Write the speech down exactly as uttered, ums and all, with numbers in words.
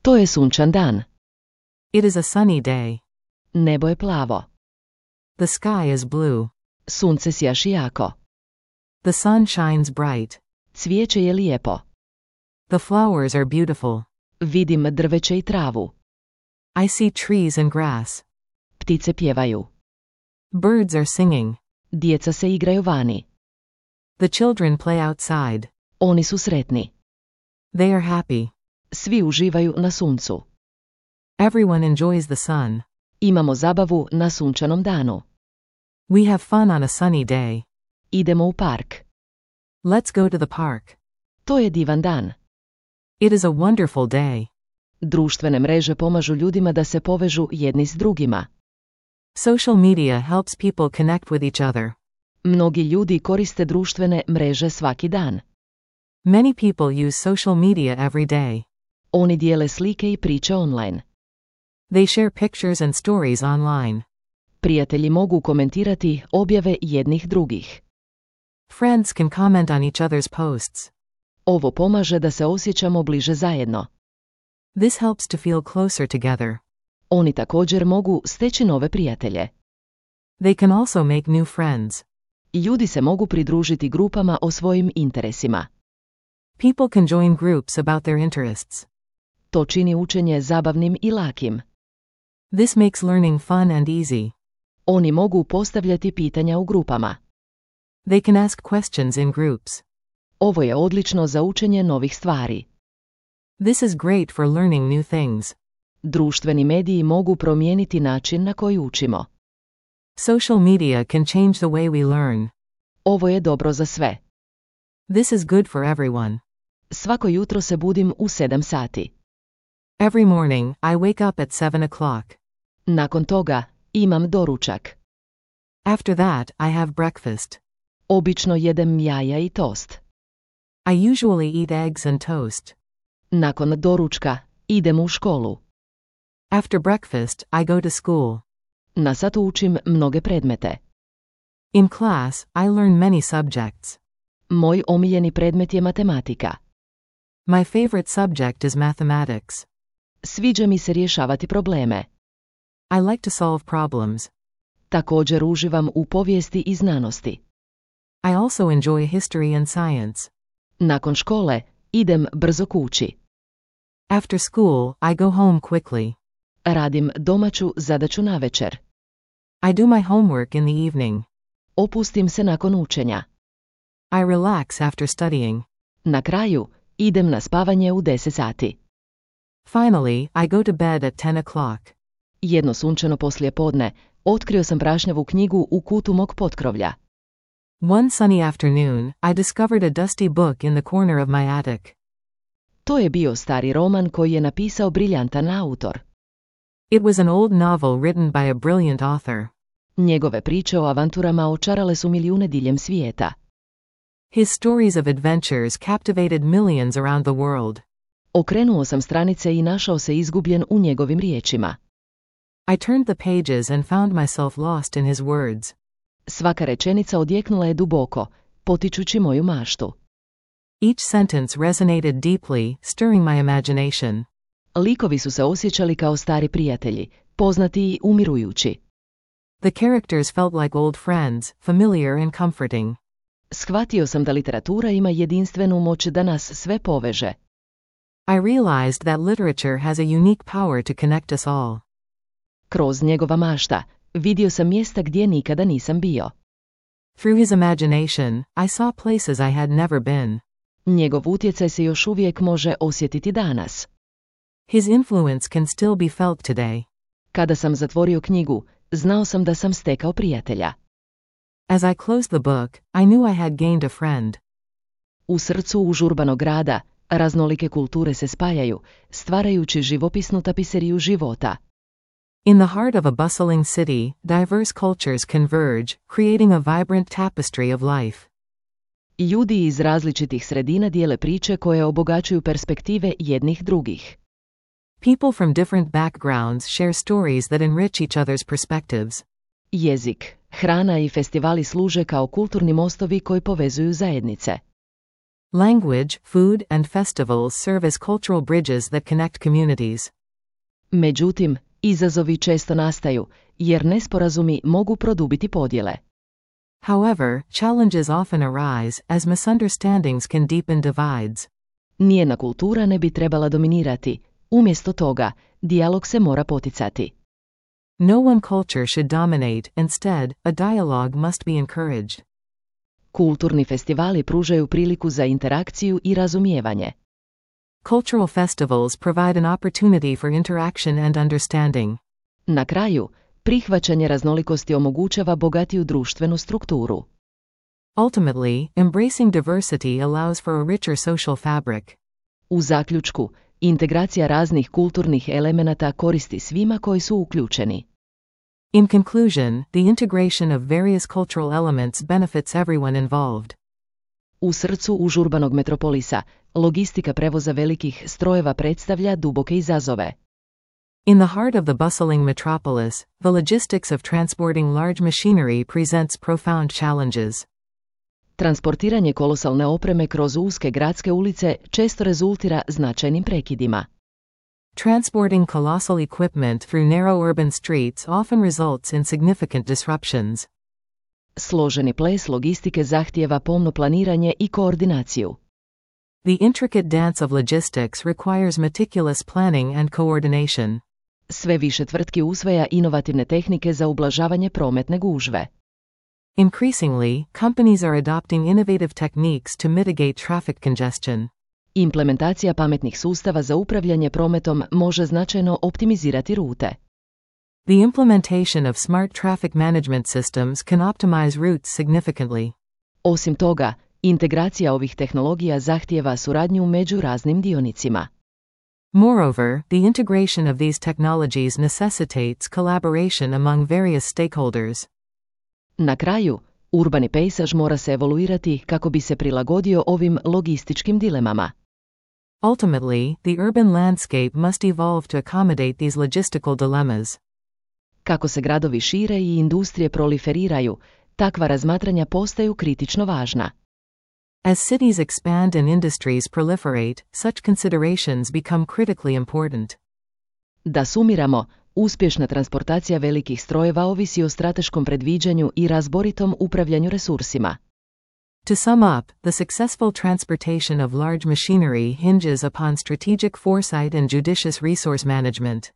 To je sunčan dan. It is a sunny day. Nebo je plavo. The sky is blue. Sunce sjaši jako. The sun shines bright. Cvijeće je lijepo. The flowers are beautiful. Vidim drveće i travu. I see trees and grass. Ptice pjevaju. Birds are singing. Djeca se igraju vani. The children play outside. Oni su sretni. They are happy. Svi uživaju na suncu. Everyone enjoys the sun. Imamo zabavu na sunčanom danu. We have fun on a sunny day. Idemo u park. Let's go to the park. To je divan dan. It is a wonderful day. Društvene mreže pomažu ljudima da se povežu jedni s drugima. Social media helps people connect with each other. Mnogi ljudi koriste društvene mreže svaki dan. Many people use social media every day. Oni dijele slike i priče online. They share pictures and stories online. Prijatelji mogu komentirati objave jednih drugih. Friends can comment on each other's posts. Ovo pomaže da se osjećamo bliže zajedno. This helps to feel closer together. Oni također mogu steći nove prijatelje. They can also make new friends. Ljudi se mogu pridružiti grupama o svojim interesima. People can join groups about their interests. To čini učenje zabavnim i lakim. This makes learning fun and easy. Oni mogu postavljati pitanja u grupama. They can ask questions in groups. Ovo je odlično za učenje novih stvari. This is great for learning new things. Društveni mediji mogu promijeniti način na koji učimo. Social media can change the way we learn. Ovo je dobro za sve. This is good for everyone. Svako jutro se budim u sedam sati. Every morning, I wake up at seven o'clock. Nakon toga, imam doručak. After that, I have breakfast. Obično jedem jaja i tost. I usually eat eggs and toast. Nakon doručka, idem u školu. After breakfast, I go to school. Na satu učim mnoge predmete. In class, I learn many subjects. Moj omiljeni predmet je matematika. My favorite subject is mathematics. Sviđa mi se rješavati probleme. I like to solve problems. Također uživam u povijesti i znanosti. I also enjoy history and science. Nakon škole, idem brzo kući. After school, I go home quickly. Radim domaću zadaću navečer. I do my homework in the evening. Opustim se nakon učenja. I relax after studying. Na kraju, idem na spavanje u deset sati. Finally, I go to bed at ten o'clock. Jedno sunčano poslijepodne, otkrio sam prašnjavu knjigu u kutu mog potkrovlja. One sunny afternoon, I discovered a dusty book in the corner of my attic. To je bio stari roman koji je napisao briljantan autor. It was an old novel written by a brilliant author. Njegove priče o avanturama očarale su milijune diljem svijeta. His stories of adventures captivated millions around the world. Okrenuo sam stranice i našao se izgubljen u njegovim riječima. I turned the pages and found myself lost in his words. Svaka rečenica odjeknula je duboko, potičući moju maštu. Each sentence resonated deeply, stirring my imagination. Likovi su se osjećali kao stari prijatelji, poznati i umirujući. The characters felt like old friends, familiar and comforting. Shvatio sam da literatura ima jedinstvenu moć da nas sve poveže. I realized that literature has a unique power to connect us all. Kroz njegova mašta, vidio sam mjesta gdje nikada nisam bio. Through his imagination, I saw places I had never been. Njegov utjecaj se još uvijek može osjetiti danas. His influence can still be felt today. Kada sam zatvorio knjigu, znao sam da sam stekao prijatelja. As I closed the book, I knew I had gained a friend. U srcu užurbanog grada, raznolike kulture se spajaju, stvarajući živopisnu tapiseriju života. In the heart of a bustling city, diverse cultures converge, creating a vibrant tapestry of life. Ljudi iz različitih sredina dijele priče koje obogaćuju perspektive jednih drugih. People from different backgrounds share stories that enrich each other's perspectives. Jezik, hrana i festivali služe kao kulturni mostovi koji povezuju zajednice. Language, food, and festivals serve as cultural bridges that connect communities. Međutim, izazovi često nastaju, jer nesporazumi mogu produbiti podjele. However, challenges often arise, as misunderstandings can deepen divides. Nijedna kultura ne bi trebala dominirati, umjesto toga, dijalog se mora poticati. No one culture should dominate, instead, a dialogue must be encouraged. Kulturni festivali pružaju priliku za interakciju i razumijevanje. Cultural festivals provide an opportunity for interaction and understanding. Na kraju, prihvaćanje raznolikosti omogućava bogatiju društvenu strukturu. Ultimately, embracing diversity allows for a richer social fabric. U zaključku, integracija raznih kulturnih elemenata koristi svima koji su uključeni. In conclusion, the integration of various cultural elements benefits everyone involved. U srcu užurbanog metropolisa, logistika prevoza velikih strojeva predstavlja duboke izazove. In the heart of the bustling metropolis, the logistics of transporting large machinery presents profound challenges. Transportiranje kolosalne opreme kroz uske gradske ulice često rezultira značajnim prekidima. Transporting colossal equipment through narrow urban streets often results in significant disruptions. Složeni ples logistike zahtijeva pomno planiranje i koordinaciju. The intricate dance of logistics requires meticulous planning and coordination. Sve više tvrtki usvaja inovativne tehnike za ublažavanje prometne gužve. Increasingly, companies are adopting innovative techniques to mitigate traffic congestion. Implementacija pametnih sustava za upravljanje prometom može značajno optimizirati rute. The implementation of smart traffic management systems can optimize routes significantly. Osim toga, integracija ovih tehnologija zahtijeva suradnju među raznim dionicima. Moreover, the integration of these technologies necessitates collaboration among various stakeholders. Na kraju, urbani pejsaž mora se evoluirati kako bi se prilagodio ovim logističkim dilemama. Ultimately, the urban landscape must evolve to accommodate these logistical dilemmas. Kako se gradovi šire i industrije proliferiraju, takva razmatranja postaju kritično važna. As cities expand and industries proliferate, such considerations become critically important. Da sumiramo, uspješna transportacija velikih strojeva ovisi o strateškom predviđanju i razboritom upravljanju resursima. To sum up, the successful transportation of large machinery hinges upon strategic foresight and judicious resource management.